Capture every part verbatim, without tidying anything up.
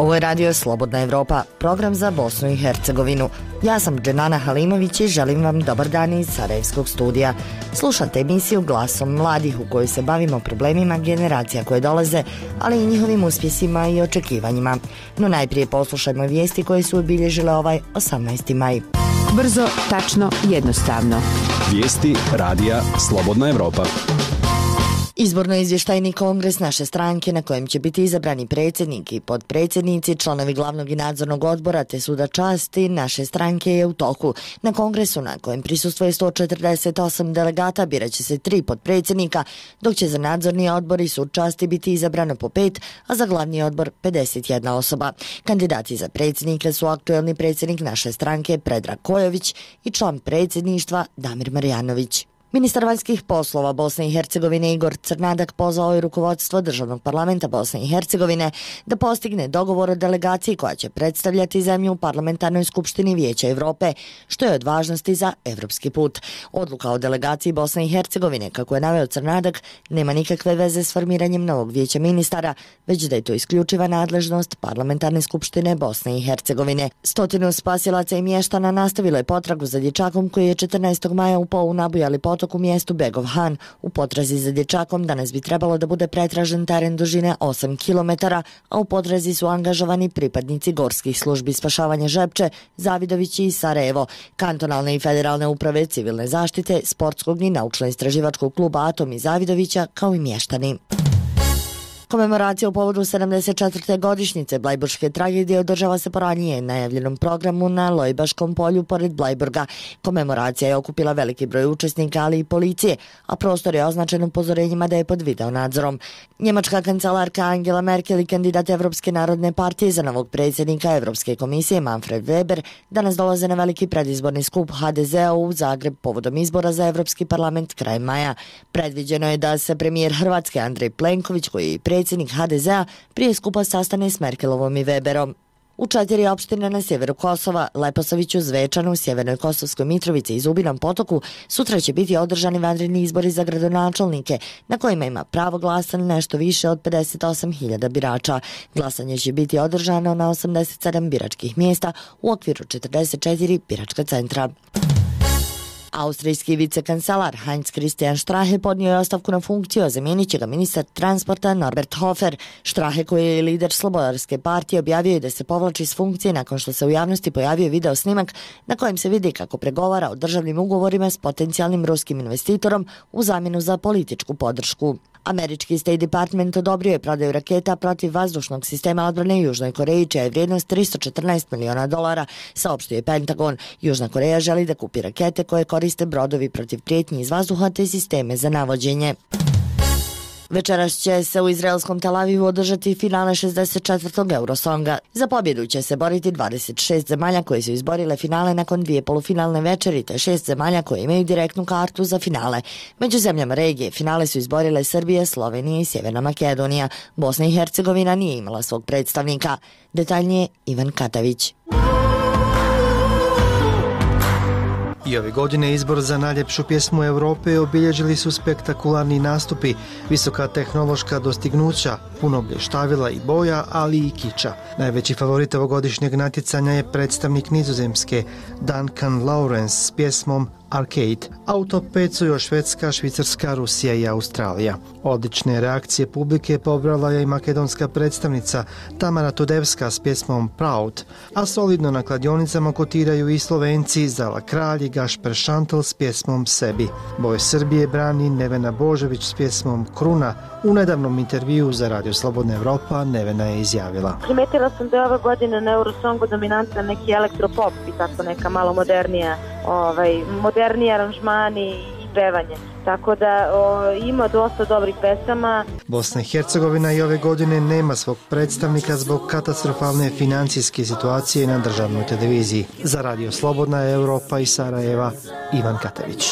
Ovo je radio Slobodna Evropa, program za Bosnu i Hercegovinu. Ja sam Dženana Halimović i želim vam dobar dan iz Sarajevskog studija. Slušate emisiju Glasom mladih u kojoj se bavimo problemima generacija koje dolaze, ali i njihovim uspjesima i očekivanjima. No najprije poslušajmo vijesti koje su obilježile ovaj osamnaesti maj. Brzo, tačno, jednostavno. Vijesti radija Slobodna Evropa. Izborno-izvještajni kongres naše stranke na kojem će biti izabrani predsjednik i potpredsjednici, članovi glavnog i nadzornog odbora te suda časti naše stranke je u toku. Na kongresu na kojem prisustvuje sto četrdeset osam delegata birat će se tri potpredsjednika, dok će za nadzorni odbor i sud časti biti izabrano po pet, a za glavni odbor pedeset jedna osoba. Kandidati za predsjednika su aktuelni predsjednik naše stranke Predrag Kojović i član predsjedništva Damir Marjanović. Ministar vanjskih poslova Bosne i Hercegovine Igor Crnadak pozvao je rukovodstvo Državnog parlamenta Bosne i Hercegovine da postigne dogovor o delegaciji koja će predstavljati zemlju u Parlamentarnoj skupštini Vijeća Evrope, što je od važnosti za evropski put. Odluka o delegaciji Bosne i Hercegovine, kako je naveo Crnadak, nema nikakve veze s formiranjem novog vijeća ministara, već da je to isključiva nadležnost Parlamentarne skupštine Bosne i Hercegovine. Stotinu spasilaca i mještana nastavilo je potragu za dječakom koji je četrnaestog maja upao u nabujali potok u mjestu Begov Han. U potrazi za dječakom danas bi trebalo da bude pretražen teren dužine osam kilometara, a u potrazi su angažovani pripadnici gorskih službi spašavanja Žepče, Zavidovići i Sarajevo, kantonalne i federalne uprave civilne zaštite, sportskog i naučno-istraživačkog kluba Atom i Zavidovića, kao i mještani. Komemoracija u povodu sedamdeset četvrte godišnjice Blajburške tragedije održava se po ranije najavljenom programu na Lojbaškom polju pored Blajburga. Komemoracija je okupila veliki broj učesnika, ali i policije, a prostor je označen upozorenjima da je pod video nadzorom. Njemačka kancelarka Angela Merkel i kandidat Evropske narodne partije za novog predsjednika Evropske komisije Manfred Weber danas dolaze na veliki predizborni skup ha de zea u Zagreb povodom izbora za Evropski parlament krajem maja. Predviđeno je da se premijer Hrvatske Andrej Plenković, koji je predsjednik ha de zea, prije skupa sastane s Merkelovom i Weberom. U četiri opštine na sjeveru Kosova, Leposaviću, Zvečanu, Sjevernoj Kosovskoj Mitrovici i Zubinom Potoku sutra će biti održani vanredni izbori za gradonačelnike, na kojima ima pravo glasa nešto više od pedeset osam hiljada birača. Glasanje će biti održano na osamdeset sedam biračkih mjesta u okviru četrdeset četiri biračka centra. Austrijski vicekancelar Heinz Christian Strahe podnio je ostavku na funkciju, a zamijenit će ga ministar transporta Norbert Hofer. Strahe, koji je lider Slobodarske partije, objavio je da se povlači s funkcije nakon što se u javnosti pojavio video snimak na kojem se vidi kako pregovara o državnim ugovorima s potencijalnim ruskim investitorom u zamjenu za političku podršku. Američki State Department odobrio je prodaju raketa protiv vazdušnog sistema odbrane Južnoj Koreji, čija je vrijednost tristo četrnaest miliona dolara, saopštio je Pentagon. Južna Koreja želi da kupi rakete koje koriste brodovi protiv prijetnji iz vazduha te sisteme za navođenje. Večeras će se u izraelskom Tel Avivu održati finale šezdeset četvrtog Eurosonga. Za pobjedu će se boriti dvadeset šest zemalja koje su izborile finale nakon dvije polufinalne večeri, te šest zemalja koje imaju direktnu kartu za finale. Među zemljama regije finale su izborile Srbija, Slovenija i Sjeverna Makedonija. Bosna i Hercegovina nije imala svog predstavnika. Detaljnije Ivan Katavić. I ove godine izbor za najljepšu pjesmu Europe obilježili su spektakularni nastupi, visoka tehnološka dostignuća, puno blještavila i boja, ali i kiča. Najveći favorit ovogodišnjeg natjecanja je predstavnik Nizozemske Duncan Lawrence s pjesmom Arcade, a u top pet su još Švedska, Švicarska, Rusija i Australija. Odlične reakcije publike pobrala je i makedonska predstavnica Tamara Tudevska s pjesmom Proud, a solidno na kladionicama kotiraju i Slovenci Zala Kralj i Gašper Šantel s pjesmom Sebi. Boj Srbije brani Nevena Božović s pjesmom Kruna. U nedavnom intervjuu za Radio Slobodna Evropa Nevena je izjavila: Primetila sam da je ove godine na Eurosongu dominantan neki elektropop i tako neka malo modernija, ovaj, moderniji aranžmani i pevanje. Tako da o, ima dosta dobrih pesama. Bosna i Hercegovina i ove godine nema svog predstavnika zbog katastrofalne financijske situacije na državnoj televiziji. Za Radio Slobodna Evropa iz Sarajeva, Ivan Katavić.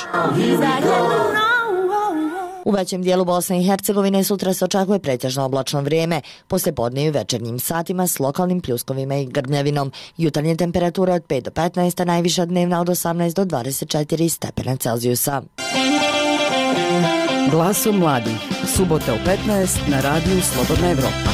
U većem dijelu Bosne i Hercegovine sutra se očekuje pretežno oblačno vrijeme, poslijepodne i večernjim satima s lokalnim pljuskovima i grmljavinom. Jutarnje temperature od pet do petnaest, a najviša dnevna od osamnaest do dvadeset četiri stepena Celzijusa. Glasom mladih, subota u petnaest na radiju Slobodna Evropa.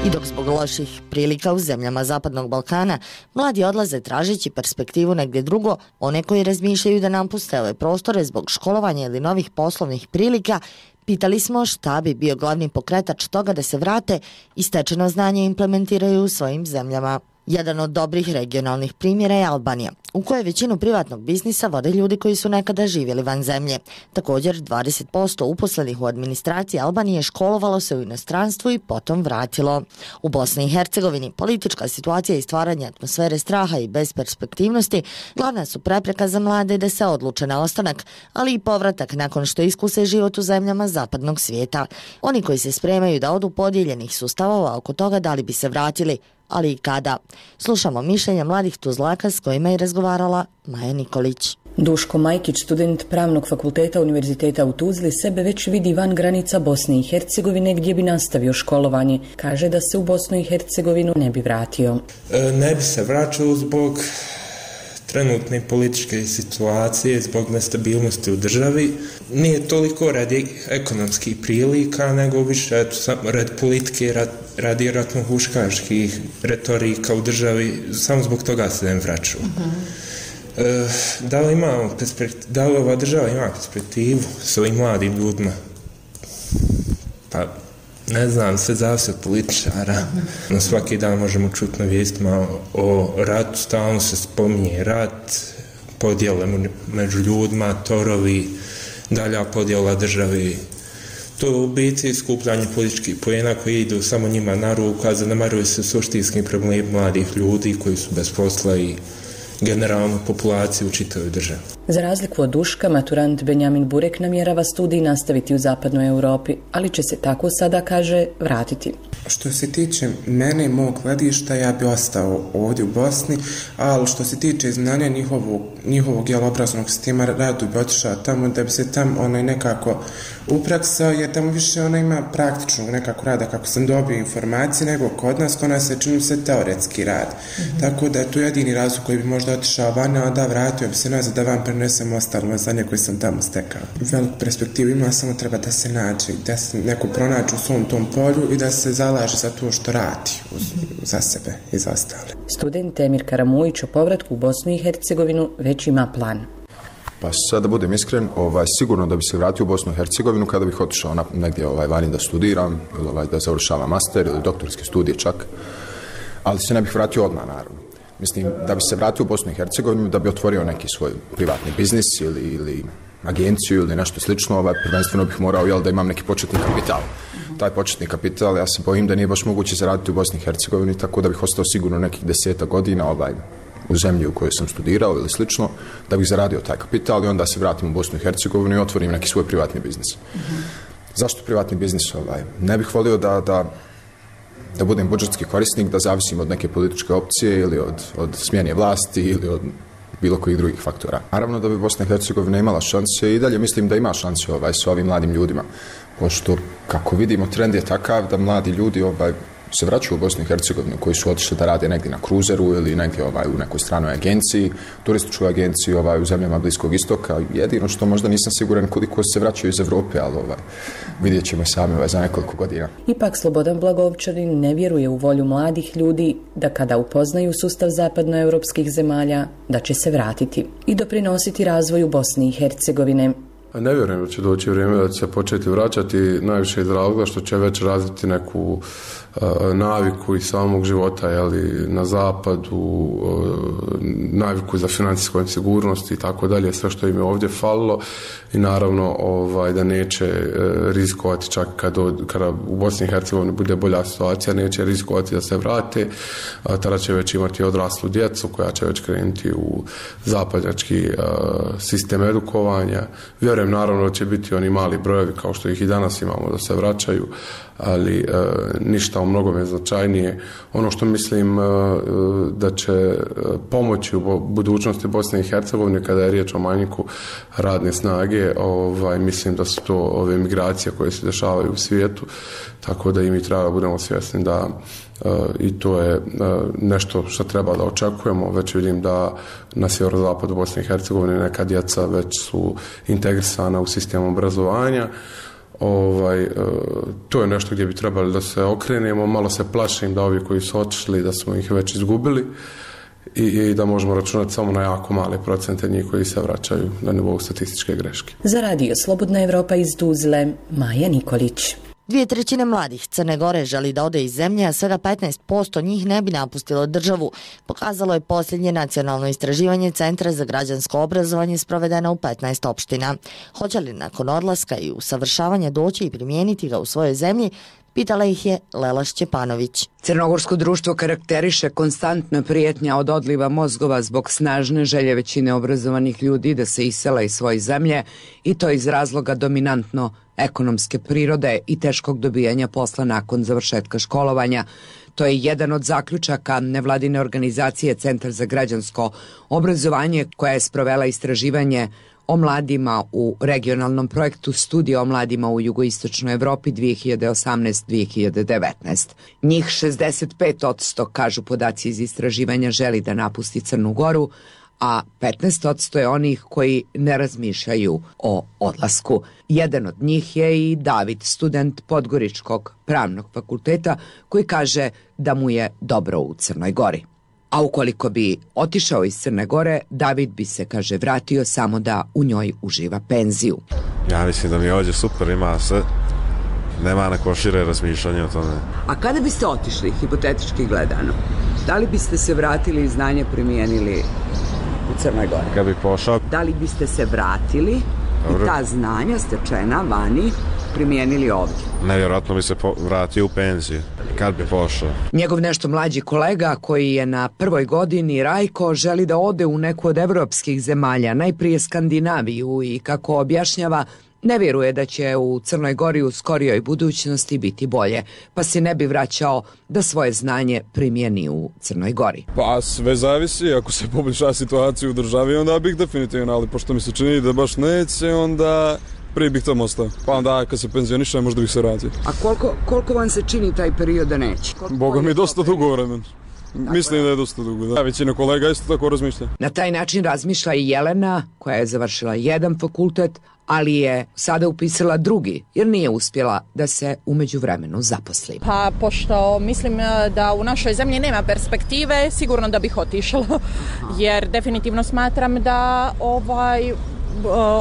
I dok zbog loših prilika u zemljama Zapadnog Balkana mladi odlaze tražeći perspektivu negdje drugo, one koji razmišljaju da napuste ove prostore zbog školovanja ili novih poslovnih prilika, pitali smo šta bi bio glavni pokretač toga da se vrate i stečeno znanje implementiraju u svojim zemljama. Jedan od dobrih regionalnih primjera je Albanija, u kojoj većinu privatnog biznisa vode ljudi koji su nekada živjeli van zemlje. Također, dvadeset posto uposlenih u administraciji Albanije školovalo se u inostranstvu i potom vratilo. U Bosni i Hercegovini politička situacija i stvaranje atmosfere straha i besperspektivnosti glavna su prepreka za mlade da se odluče na ostanak, ali i povratak nakon što iskuse život u zemljama zapadnog svijeta. Oni koji se spremaju da odu podijeljenih su stavova oko toga da li bi se vratili, ali i kada. Slušamo mišljenja mladih Tuzlaka s kojima je razgovarala Maja Nikolić. Duško Majkić, student Pravnog fakulteta Univerziteta u Tuzli, sebe već vidi van granica Bosne i Hercegovine gdje bi nastavio školovanje. Kaže da se u Bosnu i Hercegovinu ne bi vratio. E, ne bi se vraćao zbog trenutne političke situacije, zbog nestabilnosti u državi. Nije toliko radi ekonomskih prilika, nego više radi politike, radi, radi ratno-huškaških retorika u državi. Samo zbog toga se ne vraću. Uh-huh. E, da li imamo perspektiv, da li ova država ima perspektivu s ovim mladim ljudima? Pa, ne znam, sve zavisi od političara. Na svaki dan možemo čuti na vijestima o ratu, stalno se spominje rat, podjele među ljudima, torovi, dalja podjela državi. To je u biti skupljanje političkih poena koji idu samo njima na ruku, a zanemaruju se suštinski problemi mladih ljudi koji su bez posla i generalnu populaciju u čitavoj državi. Za razliku od Duška, maturant Benjamin Burek namjerava studij nastaviti u zapadnoj Europi, ali će se tako sada, kaže, vratiti. Što se tiče mene i mog gledišta, ja bi ostao ovdje u Bosni, ali što se tiče znanja njihovog, njihovog jel, obrazovnog sistema, radu bi otišao tamo da bi se tamo onaj nekako upraksao, jer tamo više ona ima praktičnog nekako rada kako sam dobio informacije, nego kod nas, kod nas se čini se teoretski rad. Mm-hmm. Tako da je to jedini razlog koji bi možda otišao van, a da vratio bi se nazad da vam prenesem ostalo znanje koje sam tamo stekao. Veliku perspektivu ima, samo treba da se nađe, da se neko pronađe u svom tom polju i da se zalaže za to što radi uz, za sebe i za ostale. Student Emir Karamujić o povratku u Bosnu i Hercegovinu već ima plan. Pa sad da budem iskren, ovaj, sigurno da bi se vratio u Bosnu i Hercegovinu kada bih otišao na, negdje ovaj, vani da studiram, ili ovaj, da završavam master ili doktorske studije čak, ali se ne bih vratio odmah, naravno. Mislim, da bi se vratio u Bosnu i Hercegovinu, da bi otvorio neki svoj privatni biznis ili, ili agenciju ili nešto slično, ovaj, prvenstveno bih morao jel, da imam neki početni kapital. Taj početni kapital, ja se bojim da nije baš moguće zaraditi u Bosni i Hercegovini, tako da bih ostao sigurno nekih deseta godina ovaj, u zemlji u kojoj sam studirao ili slično, da bih zaradio taj kapital i onda se vratim u Bosnu i Hercegovinu i otvorim neki svoj privatni biznis. Mm-hmm. Zašto privatni biznis? Ovaj? Ne bih volio da, da, da budem budžetski korisnik, da zavisim od neke političke opcije ili od, od smjene vlasti ili od bilo kojih drugih faktora. Naravno da bi Bosna i Hercegovina imala šanse i dalje mislim da ima šanse ovaj, s ovim mladim ljudima, pošto kako vidimo trend je takav da mladi ljudi ovaj, se vraćaju u Bosnu i Hercegovinu koji su otišli da rade negdje na kruzeru ili negdje ovaj, u nekoj stranoj agenciji, turističkoj agenciji ovaj, u zemljama Bliskog istoka. Jedino što možda nisam siguran koliko se vraćaju iz Evrope, ali ovaj, vidjet ćemo sami ovaj, za nekoliko godina. Ipak Slobodan Blagovčanin ne vjeruje u volju mladih ljudi da kada upoznaju sustav zapadnoevropskih zemalja, da će se vratiti i doprinositi razvoju Bosne i Hercegovine. Ne vjerujem da će doći vrijeme da će se početi vraćati, najviše iz razloga što će već razviti neku uh, naviku iz samog života, jeli, na zapadu, uh, naviku za financijsku sigurnost i tako dalje, sve što im je ovdje falilo i naravno ovaj, da neće uh, rizikovati čak kada, kada u Bosni i Hercegovini bude bolja situacija, neće rizikovati da se vrate, uh, tada će već imati odraslu djecu koja će već krenuti u zapadnjački uh, sistem edukovanja. Vjerujem naravno da će biti oni mali brojevi kao što ih i danas imamo da se vraćaju, ali e, ništa u mnogome značajnije. Ono što mislim e, da će pomoći u budućnosti Bosne i Hercegovine kada je riječ o manjku radne snage, ovaj, mislim da su to ove migracije koje se dešavaju u svijetu, tako da i mi treba da budemo svjesni da Uh, i to je uh, nešto što treba da očekujemo. Već vidim da na sjeverozapadu Bosne i Hercegovine neka djeca već su integrisana u sistem obrazovanja. Ovaj, to je nešto gdje bi trebali da se okrenemo, malo se plašim da ovi koji su otišli, da smo ih već izgubili i, i da možemo računati samo na jako male procente njih koji se vraćaju na nivou statističke greške. Za radio Slobodna Evropa iz Tuzle, Maja Nikolić. Dvije trećine mladih Crne Gore želi da ode iz zemlje, a svega petnaest posto njih ne bi napustilo državu, pokazalo je posljednje nacionalno istraživanje Centra za građansko obrazovanje sprovedeno u petnaest opština. Hoće li nakon odlaska i usavršavanja doći i primijeniti ga u svojoj zemlji, pitala ih je Lela Šćepanović. Crnogorsko društvo karakteriše konstantna prijetnja od odliva mozgova zbog snažne želje većine obrazovanih ljudi da se isela iz svoje zemlje i to iz razloga dominantno ekonomske prirode i teškog dobijanja posla nakon završetka školovanja. To je jedan od zaključaka nevladine organizacije Centar za građansko obrazovanje koja je sprovela istraživanje o mladima u regionalnom projektu Studija o mladima u jugoistočnoj Evropi dvije hiljade osamnaeste do dvije hiljade devetnaeste. Njih šezdeset pet posto, kažu podaci iz istraživanja, želi da napusti Crnu Goru, a petnaest posto je onih koji ne razmišljaju o odlasku. Jedan od njih je i David, student Podgoričkog pravnog fakulteta, koji kaže da mu je dobro u Crnoj Gori. A ukoliko bi otišao iz Crne Gore, David bi se, kaže, vratio samo da u njoj uživa penziju. Ja mislim da mi je ovdje super, ima sve, nema neko šire razmišljanje o tome. A kada biste otišli, hipotetički gledano, da li biste se vratili i znanje primijenili u Crnoj Gori? Kad bi pošao... Da li biste se vratili Dobro. i ta znanja stečena vani primijenili ovdje? Nevjerojatno bi se vratio u penziju. Kad bi pošao? Njegov nešto mlađi kolega koji je na prvoj godini, Rajko, želi da ode u neku od evropskih zemalja, najprije Skandinaviju, i kako objašnjava, ne vjeruje da će u Crnoj Gori u skorijoj budućnosti biti bolje, pa se ne bi vraćao da svoje znanje primjeni u Crnoj Gori. Pa sve zavisi, ako se poboljša situacija u državi, onda bih definitivno, ali pošto mi se čini da baš neće, onda prije bih tamo ostao. Pa onda kad se penzioniše, možda bih se vratio. A koliko, koliko vam se čini taj period da neće? Koliko Boga mi dosta dugo vremena. Mislim da je dosta dugo. Da. Većina kolega isto tako razmišlja. Na taj način razmišlja i Jelena, koja je završila jedan fakultet, ali je sada upisala drugi, jer nije uspjela da se u međuvremenu zaposli. Pa pošto mislim da u našoj zemlji nema perspektive, sigurno da bih otišla, jer definitivno smatram da ovaj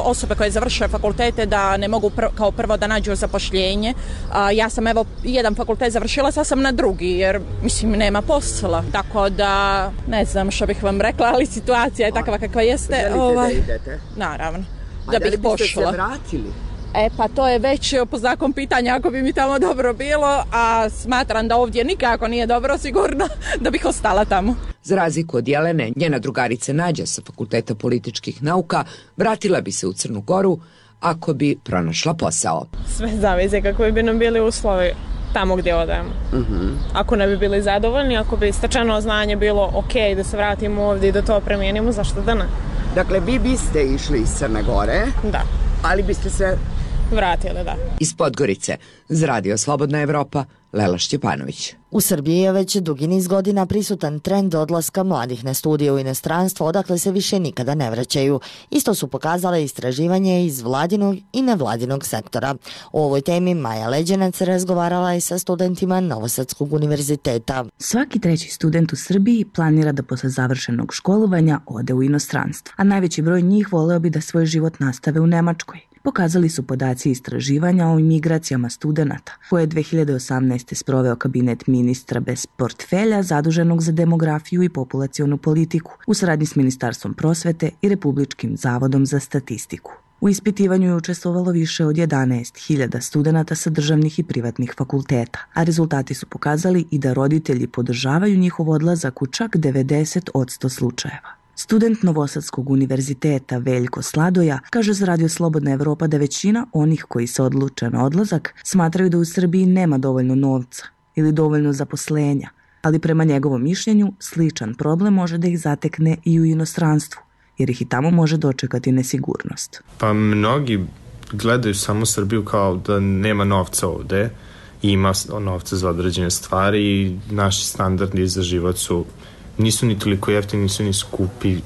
osobe koje završuje fakultete da ne mogu pr- kao prvo da nađu zapošljenje. A, ja sam evo jedan fakultet završila, sad sam na drugi jer mislim nema posla. Tako da ne znam što bih vam rekla, ali situacija je takva kakva jeste. Želite ovaj, da idete? Naravno. A da, da bih pošla. Da li biste se vratili? E pa to je već po znakom pitanja ako bi mi tamo dobro bilo, a smatram da ovdje nikako nije dobro, sigurno da bih ostala tamo. Za razliku od Jelene, njena drugarica Nađa sa Fakulteta političkih nauka vratila bi se u Crnu Goru ako bi pronašla posao. Sve zavise kako bi nam bili uslovi tamo gdje odemo. Uh-huh. Ako ne bi bili zadovoljni, ako bi stečeno znanje bilo ok da se vratimo ovdje i da to primijenimo, zašto da ne? Dakle, vi biste išli iz Crne Gore, da, ali biste se vratili, da. Iz Podgorice, za radio Slobodna Evropa, Lela Šćepanović. U Srbiji je već dugi niz godina prisutan trend odlaska mladih na studije u inostranstvo, odakle se više nikada ne vraćaju. Isto su pokazale istraživanje iz vladinog i nevladinog sektora. O ovoj temi Maja Leđenac razgovarala je sa studentima Novosadskog univerziteta. Svaki treći student u Srbiji planira da posle završenog školovanja ode u inostranstvo, a najveći broj njih voleo bi da svoj život nastave u Nemačkoj. Pokazali su podaci istraživanja o imigracijama studenata, koje je dve hiljade osamnaeste sproveo kabinet ministra bez portfelja zaduženog za demografiju i populacionu politiku u saradnji s Ministarstvom prosvete i Republičkim zavodom za statistiku. U ispitivanju je učestvovalo više od jedanaest hiljada studenata sa državnih i privatnih fakulteta, a rezultati su pokazali i da roditelji podržavaju njihov odlazak u čak devedeset posto slučajeva. Student Novosadskog univerziteta Veljko Sladoja kaže za radio Slobodna Evropa da većina onih koji se odluče na odlazak smatraju da u Srbiji nema dovoljno novca ili dovoljno zaposlenja, ali prema njegovom mišljenju sličan problem može da ih zatekne i u inostranstvu, jer ih i tamo može dočekati nesigurnost. Pa mnogi gledaju samo Srbiju kao da nema novca ovde, ima novca za određene stvari i naši standardi za život su nisu ni toliko jeftini, nisu ni skupi,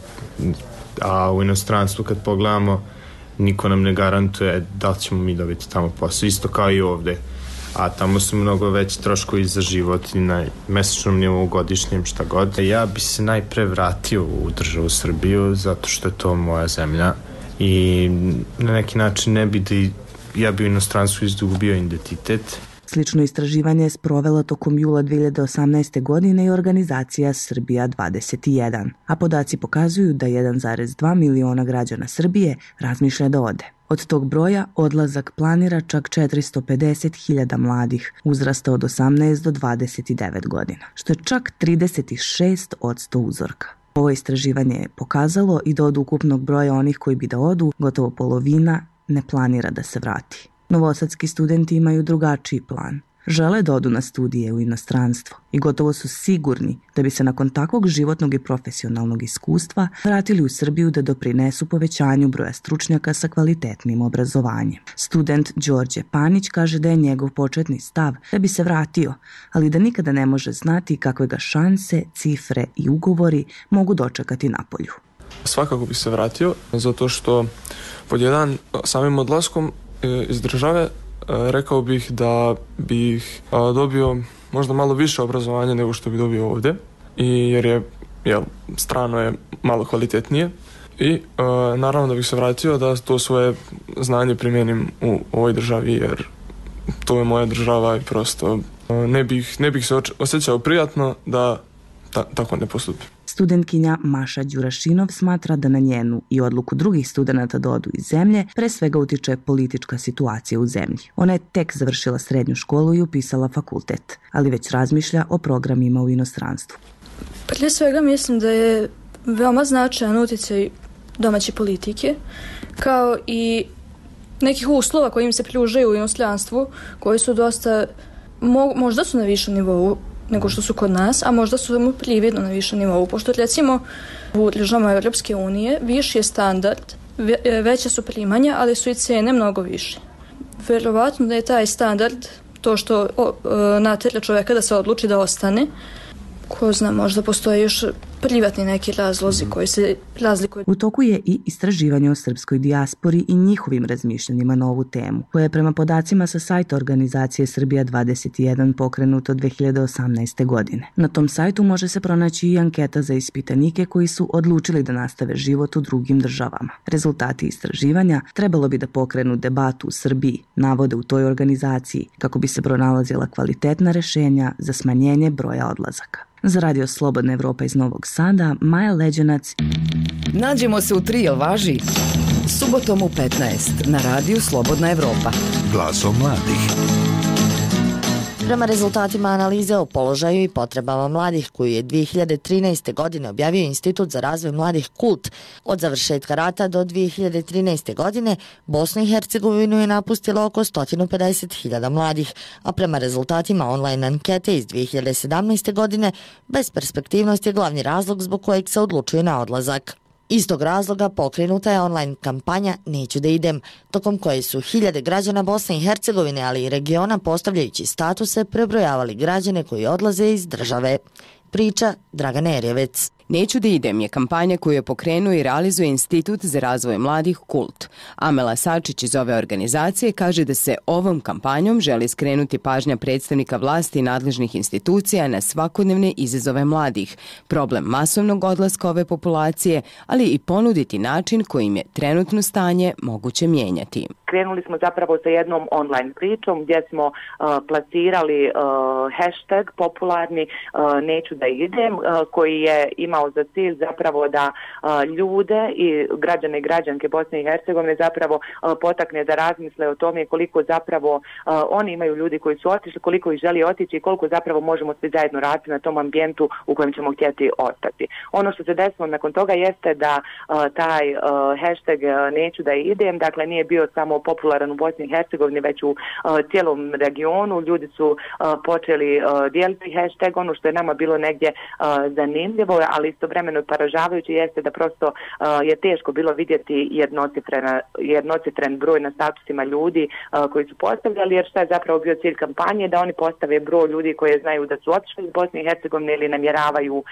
a u inostranstvu kad pogledamo niko nam ne garantuje da li ćemo mi dobiti tamo posao, isto kao i ovde. A tamo su mnogo veći troškovi za život i na mesečnom nivou, godišnjem, šta god. Ja bi se najpre vratio u državu Srbiju zato što je to moja zemlja i na neki način ne bi da ja bi u inostranstvu izgubio identitet. Slično istraživanje je sprovela tokom jula dve hiljade osamnaeste. godine i organizacija Srbija dvadeset jedan, a podaci pokazuju da jedan zarez dva miliona građana Srbije razmišlja da ode. Od tog broja odlazak planira čak četiristo pedeset hiljada mladih uzrasta od osamnaest do dvadeset devet godina, što je čak trideset šest posto uzorka. Ovo istraživanje je pokazalo i da od ukupnog broja onih koji bi da odu, gotovo polovina ne planira da se vrati. Novosadski studenti imaju drugačiji plan. Žele da odu na studije u inostranstvo i gotovo su sigurni da bi se nakon takvog životnog i profesionalnog iskustva vratili u Srbiju da doprinesu povećanju broja stručnjaka sa kvalitetnim obrazovanjem. Student Đorđe Panić kaže da je njegov početni stav da bi se vratio, ali da nikada ne može znati kakve ga šanse, cifre i ugovori mogu dočekati napolju. Svakako bi se vratio, zato što pod jedan samim odlaskom iz države rekao bih da bih dobio možda malo više obrazovanja nego što bi dobio ovdje, i jer je jel, strano je malo kvalitetnije i e, naravno da bih se vratio da to svoje znanje primjenim u ovoj državi, jer to je moja država i prosto e, ne bih, ne bih se osjećao prijatno da ta, tako ne postupim. Studentkinja Maša Đurašinov smatra da na njenu i odluku drugih studenata da odu iz zemlje pre svega utiče politička situacija u zemlji. Ona je tek završila srednju školu i upisala fakultet, ali već razmišlja o programima u inostranstvu. Prije svega mislim da je veoma značajan utjecaj domaće politike, kao i nekih uslova koji im se pružaju u inostranstvu, koji su dosta, mo, možda su na višem nivou nego što su kod nas, a možda su mu prividno na višem nivou, pošto recimo u državama Europske unije viši je standard, veće su primanja, ali su i cene mnogo više. Verovatno da je taj standard to što natjera čovjeka da se odluči da ostane. Ko zna, možda postoje još privatni neki razlozi koji se razlikuju. U toku je i istraživanje o srpskoj dijaspori i njihovim razmišljanjima na ovu temu, koje je prema podacima sa sajta organizacije Srbija dvadeset jedan pokrenuto dve hiljade osamnaeste. godine. Na tom sajtu može se pronaći i anketa za ispitanike koji su odlučili da nastave život u drugim državama. Rezultati istraživanja trebalo bi da pokrenu debatu u Srbiji, navode u toj organizaciji, kako bi se pronalazila kvalitetna rešenja za smanjenje broja odlazaka. Za Radio Slobodna Evropa iz Novog Sada, Maja Leđenac. Nađemo se u tri, jel važi? Subotom u petnaest na Radiju Slobodna Evropa. Glasom mladih. Prema rezultatima analize o položaju i potrebama mladih koju je dve hiljade trinaeste. godine objavio Institut za razvoj mladih Kult, od završetka rata do dve hiljade trinaeste. godine Bosnu i Hercegovinu je napustilo oko sto pedeset hiljada mladih, a prema rezultatima online ankete iz dve hiljade sedamnaeste. godine besperspektivnost je glavni razlog zbog kojeg se odlučuje na odlazak. Iz tog razloga pokrenuta je online kampanja Neću da idem, tokom koje su hiljade građana Bosne i Hercegovine, ali i regiona postavljajući statuse prebrojavali građane koji odlaze iz države. Priča Dragan Erjevec. Neću da idem je kampanja koju je pokrenuo i realizuje Institut za razvoj mladih Kult. Amela Sačić iz ove organizacije kaže da se ovom kampanjom želi skrenuti pažnja predstavnika vlasti i nadležnih institucija na svakodnevne izazove mladih, problem masovnog odlaska ove populacije, ali i ponuditi način kojim je trenutno stanje moguće mijenjati. Krenuli smo zapravo sa jednom online pričom gdje smo uh, plasirali uh, hashtag popularni uh, Neću da idem, uh, koji je imao za cilj zapravo da uh, ljude i građane i građanke Bosne i Hercegovine zapravo uh, potakne da razmisle o tome koliko zapravo uh, oni imaju ljudi koji su otišli, koliko ih želi otići i koliko zapravo možemo svi zajedno raditi na tom ambijentu u kojem ćemo htjeti ostati. Ono što se desilo nakon toga jeste da uh, taj uh, hashtag uh, Neću da idem, dakle nije bio samo popularan u Bosni i Hercegovini, već u uh, cijelom regionu. Ljudi su uh, počeli uh, dijeliti hashtag, ono što je nama bilo negdje uh, zanimljivo, ali ali istovremeno poražavajuće jeste da prosto je teško bilo vidjeti jednocifren broj na statusima ljudi koji su postavljali, jer šta je zapravo bio cilj kampanje, da oni postave broj ljudi koje znaju da su otišli iz Bosne i Hercegovine ili namjeravaju uh,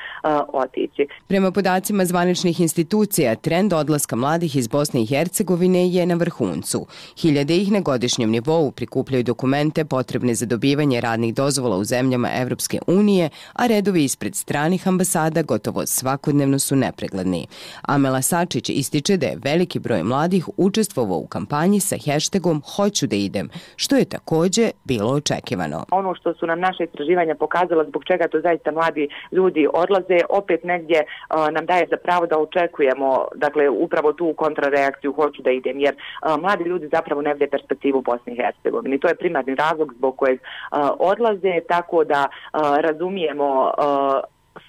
otići. Prema podacima zvaničnih institucija, trend odlaska mladih iz Bosne i Hercegovine je na vrhuncu. Hiljade ih na godišnjem nivou prikupljaju dokumente potrebne za dobivanje radnih dozvola u zemljama Evropske unije, a redovi ispred stranih ambasada gotovo svakodnevno su nepregledni. Amela Sačić ističe da je veliki broj mladih učestvovao u kampanji sa hashtagom Hoću da idem, što je također bilo očekivano. Ono što su nam naše istraživanja pokazala zbog čega to zaista mladi ljudi odlaze, opet negdje uh, nam daje za pravo da očekujemo, dakle, upravo tu kontrareakciju Hoću da idem, jer uh, mladi ljudi zapravo ne vide perspektivu u Bosni i Hercegovini. To je primarni razlog zbog kojeg uh, odlaze, tako da uh, razumijemo uh,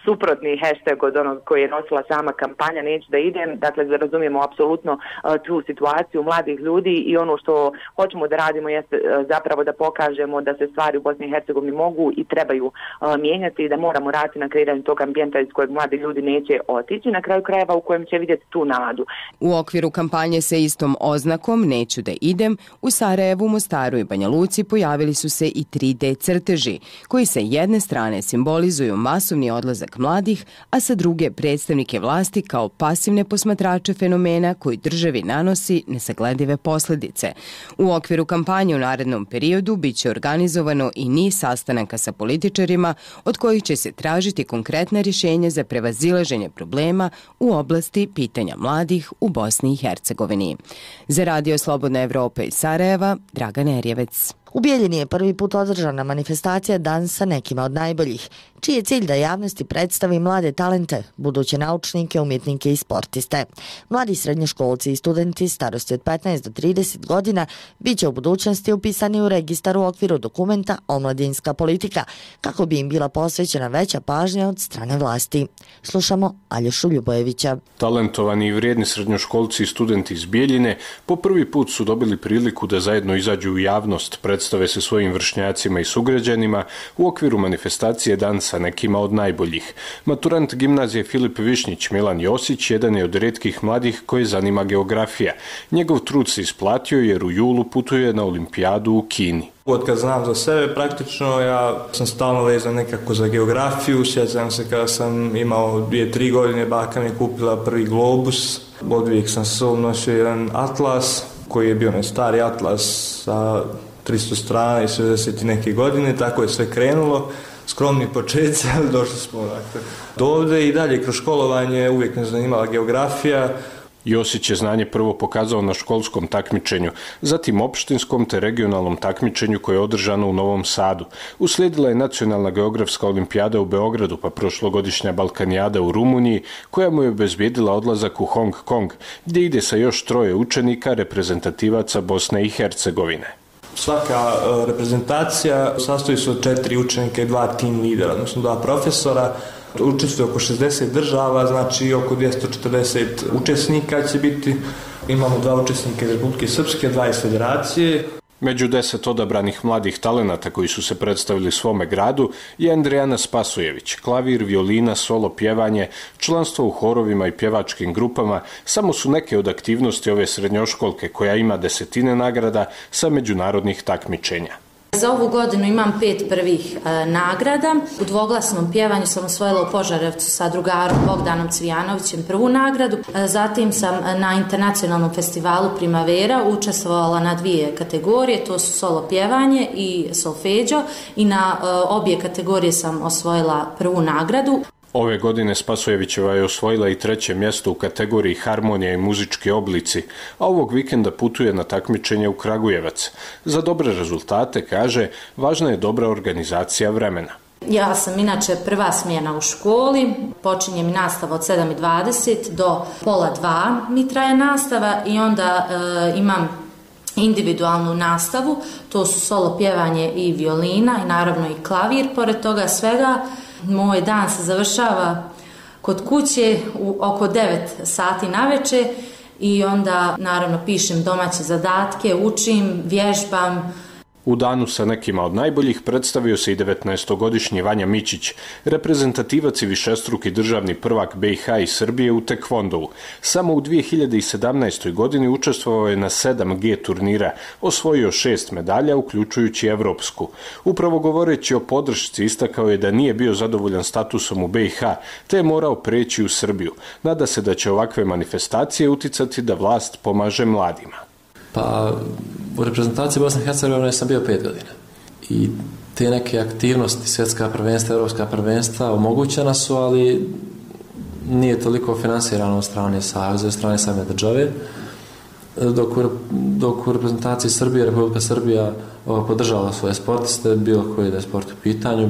suprotni hashtag od onog koji je nosila sama kampanja Neću da idem, dakle razumijemo apsolutno uh, tu situaciju mladih ljudi i ono što hoćemo da radimo jeste uh, zapravo da pokažemo da se stvari u Bosni i Hercegovini mogu i trebaju uh, mijenjati i da moramo raditi na kreiranju tog ambijenta iz kojeg mladi ljudi neće otići, na kraju krajeva u kojem će vidjeti tu nadu. U okviru kampanje sa istom oznakom Neću da idem, u Sarajevu, Mostaru i Banja Luci pojavili su se i tri D crteži, koji sa jedne strane simbolizuju masovni odlazak mladih, a sa druge predstavnike vlasti kao pasivne posmatrače fenomena koji državi nanosi nesagledive posljedice. U okviru kampanje u narednom periodu bit će organizovano i niz sastanaka sa političarima od kojih će se tražiti konkretna rješenja za prevazilaženje problema u oblasti pitanja mladih u Bosni i Hercegovini. Za Radio Slobodna Evropa iz Sarajeva, Dragan Erjevec. U Bijeljini je prvi put održana manifestacija Dan sa nekima od najboljih, čiji je cilj da javnosti predstavi mlade talente, buduće naučnike, umjetnike i sportiste. Mladi srednjoškolci i studenti starosti od petnaest do trideset godina bit će u budućnosti upisani u registar u okviru dokumenta Omladinska politika, kako bi im bila posvećena veća pažnja od strane vlasti. Slušamo Aljošu Ljubojevića. Talentovani i vrijedni srednjoškolci i studenti iz Bijeljine po prvi put su dobili priliku da zajedno izađu u javnost, predstave se svojim vršnjacima i sugrađanima u okviru manifestacije Dan sa nekima od najboljih. Maturant gimnazije Filip Višnjić Milan Josić jedan je od rijetkih mladih koje zanima geografija. Njegov trud se isplatio jer u julu putuje na olimpijadu u Kini. Od kad znam za sebe, praktično ja sam stalno vezan nekako za geografiju. Sjećam se kada sam imao dvije, tri godine, baka mi je kupila prvi globus. Odvijek sam sa sobom nosio jedan atlas, koji je bio onaj stari atlas sa tristo strana i šezdeset neke godine, tako je sve krenulo. Skromni početci, ali došli smo dakle, do ovdje i dalje kroz školovanje uvijek me zanimala geografija. Josić je znanje prvo pokazao na školskom takmičenju, zatim opštinskom te regionalnom takmičenju koje je održano u Novom Sadu. Uslijedila je nacionalna geografska olimpijada u Beogradu, pa prošlogodišnja Balkanijada u Rumuniji, koja mu je obezbijedila odlazak u Hong Kong, gdje ide sa još troje učenika reprezentativaca Bosne i Hercegovine. Svaka uh, reprezentacija sastoji se od četiri učenika i dva tim lidera, odnosno dva profesora. Učestvuje oko šezdeset država, znači oko dvjesto četrdeset učesnika će biti. Imamo dva učesnika iz Republike Srpske, dva iz Federacije. Među deset odabranih mladih talenata koji su se predstavili svome gradu je Andrijana Spasojević, klavir, violina, solo pjevanje, članstvo u horovima i pjevačkim grupama, samo su neke od aktivnosti ove srednjoškolke koja ima desetine nagrada sa međunarodnih takmičenja. Za ovu godinu imam pet prvih e, nagrada. U dvoglasnom pjevanju sam osvojila u Požarevcu sa drugarom Bogdanom Cvijanovićem prvu nagradu. E, zatim sam na internacionalnom festivalu Primavera učestvovala na dvije kategorije, to su solo pjevanje i solfeđo, i na e, obje kategorije sam osvojila prvu nagradu. Ove godine Spasojevićeva je osvojila i treće mjesto u kategoriji harmonija i muzički oblici, a ovog vikenda putuje na takmičenje u Kragujevac. Za dobre rezultate, kaže, važna je dobra organizacija vremena. Ja sam inače prva smjena u školi, počinje mi nastava od sedam i dvadeset do pola dva mi traje nastava i onda e, imam individualnu nastavu, to su solo pjevanje i violina i naravno i klavir. Pored toga svega, moj dan se završava kod kuće u oko devet sati navečer i onda naravno pišem domaće zadatke, učim, vježbam. U danu sa nekima od najboljih predstavio se i devetnaestogodišnji Vanja Mićić, reprezentativac i višestruki državni prvak B i H i Srbije u tekvondou. Samo u dvije hiljade sedamnaestoj. godini učestvovao je na sedam G turnira, osvojio šest medalja, uključujući evropsku. Upravo govoreći o podršci, istakao je da nije bio zadovoljan statusom u B i H, te je morao preći u Srbiju. Nada se da će ovakve manifestacije uticati da vlast pomaže mladima. Pa u reprezentaciji Bosne i Hercegovine sam bio pet godina i te neke aktivnosti, svjetska prvenstva, evropska prvenstva omogućena su, ali nije toliko finansirano od strane saveza, od strane same države, dok u, dok u reprezentaciji Srbije, Republika Srbija podržava svoje sportiste, bilo koji da je sport u pitanju,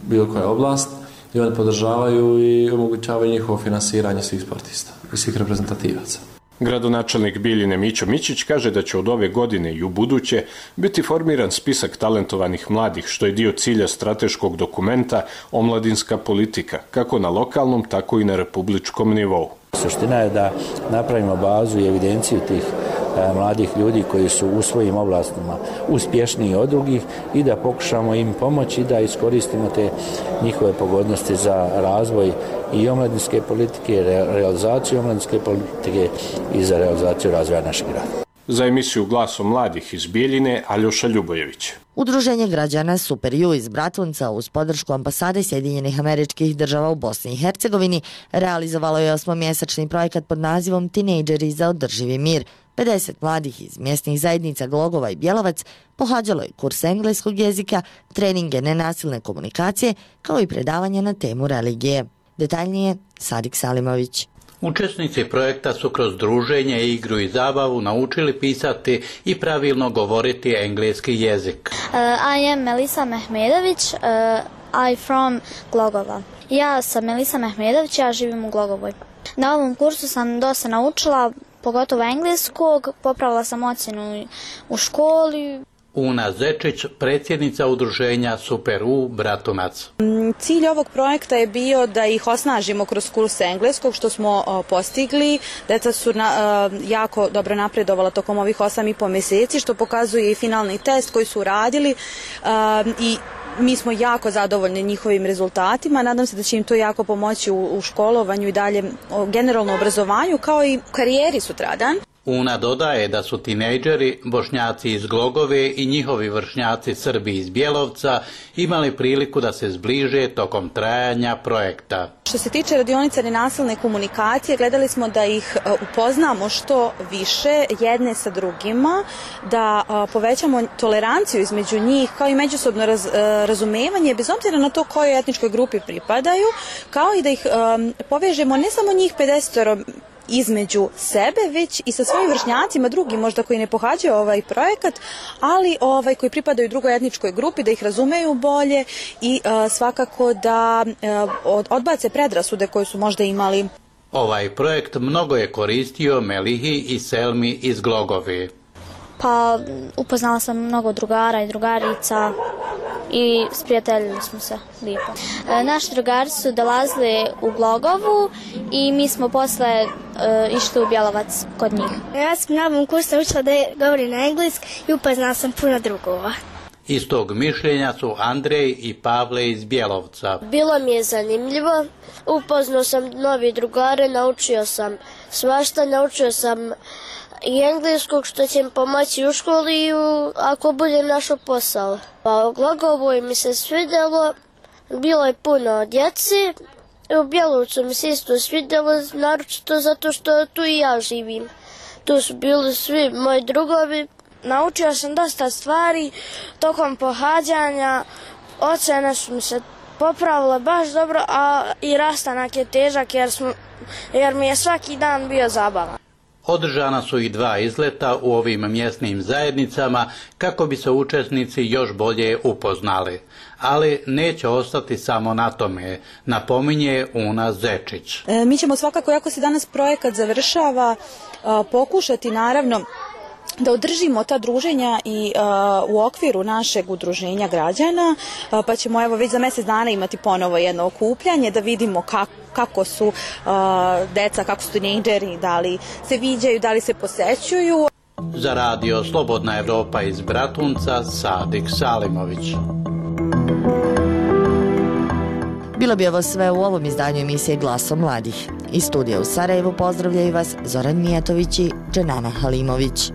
bilo koja oblast, i oni podržavaju i omogućavaju njihovo finansiranje svih sportista i svih reprezentativaca. Gradonačelnik Bijeljine Mićo Mićić kaže da će od ove godine i u buduće biti formiran spisak talentovanih mladih, što je dio cilja strateškog dokumenta Omladinska politika, kako na lokalnom, tako i na republičkom nivou. Suština je da napravimo bazu i evidenciju tih e, mladih ljudi koji su u svojim oblastima uspješniji od drugih i da pokušamo im pomoći da iskoristimo te njihove pogodnosti za razvoj i omladinske politike, re, realizaciju omladinske politike i za realizaciju razvoja našeg grada. Za emisiju Glasom mladih iz Bijeljine, Aljoša Ljubojević. Udruženje građana Super U iz Bratunca uz podršku ambasade Sjedinjenih Američkih Država u Bosni i Hercegovini realizovalo je osmomjesečni projekat pod nazivom Tinejdžeri za održivi mir. pedeset mladih iz mjesnih zajednica Glogova i Bjelovac pohađalo je kurs engleskog jezika, treninge nenasilne komunikacije, kao i predavanje na temu religije. Detaljnije Sadik Salimović. Učesnici projekta su kroz druženje, igru i zabavu naučili pisati i pravilno govoriti engleski jezik. Uh, I am Melisa Mehmedović, uh, I from Glogova. Ja sam Melisa Mehmedović, ja živim u Glogovoj. Na ovom kursu sam dosta naučila, pogotovo engleskog, popravila sam ocjenu u školi. Una Zečić, predsjednica udruženja Super U Bratunac. Cilj ovog projekta je bio da ih osnažimo kroz kurs engleskog, što smo o, postigli. Deca su na, o, jako dobro napredovala tokom ovih osam i po mjeseci, što pokazuje i finalni test koji su radili o, i mi smo jako zadovoljni njihovim rezultatima. Nadam se da će im to jako pomoći u, u školovanju i dalje o, generalno obrazovanju, kao i karijeri sutradan. Una dodaje da su tinejdžeri, Bošnjaci iz Glogove i njihovi vršnjaci Srbi iz Bjelovca imali priliku da se zbliže tokom trajanja projekta. Što se tiče radionice nenasilne komunikacije, gledali smo da ih upoznamo što više jedne sa drugima, da povećamo toleranciju između njih, kao i međusobno raz, razumevanje, bez obzira na to kojoj etničkoj grupi pripadaju, kao i da ih um, povežemo ne samo njih pedeset između sebe, već i sa svojim vršnjacima drugim, možda koji ne pohađaju ovaj projekat, ali ovaj koji pripadaju drugoj etničkoj grupi, da ih razumeju bolje i uh, svakako da uh, odbace predrasude koje su možda imali. Ovaj projekt mnogo je koristio Melihi i Selmi iz Glogove. Pa upoznala sam mnogo drugara i drugarica i sprijateljili smo se lijepo. E, naši drugari su dolazili u Glogovu i mi smo posle e, išli u Bjelovac kod njih. Ja sam na ovom kursu učila da govorim na engleski i upoznala sam puno drugova. Iz tog mišljenja su Andrej i Pavle iz Bjelovca. Bilo mi je zanimljivo, upoznao sam novi drugare, naučio sam svašta, naučio sam i engleskog, što će mi pomoći u školi i u, ako budem našao posao. Pa u Glogovoj mi se svidjelo, bilo je puno djeci, u Bjelovcu mi se isto svidjelo, naročito zato što tu i ja živim. Tu su bili svi moji drugovi. Naučio sam dosta stvari tokom pohađanja, ocene su mi se popravile baš dobro, a i rastanak je težak jer, smo, jer mi je svaki dan bio zabavan. Održana su i dva izleta u ovim mjesnim zajednicama kako bi se učesnici još bolje upoznali. Ali neće ostati samo na tome, napominje Una Zečić. E, mi ćemo svakako, ako se danas projekat završava, pokušati naravno da održimo ta druženja i uh, u okviru našeg udruženja građana, uh, pa ćemo evo već za mjesec dana imati ponovo jedno okupljanje da vidimo kako, kako su uh, deca, kako su tinejdžeri, da li se viđaju, da li se posećuju. Za radio Slobodna Evropa iz Bratunca, Sadik Salimović. Bilo bi ovo sve u ovom izdanju emisije Glasom mladih. Iz studija u Sarajevu pozdravljaju vas Zoran Mijatović i Dženana Halimović.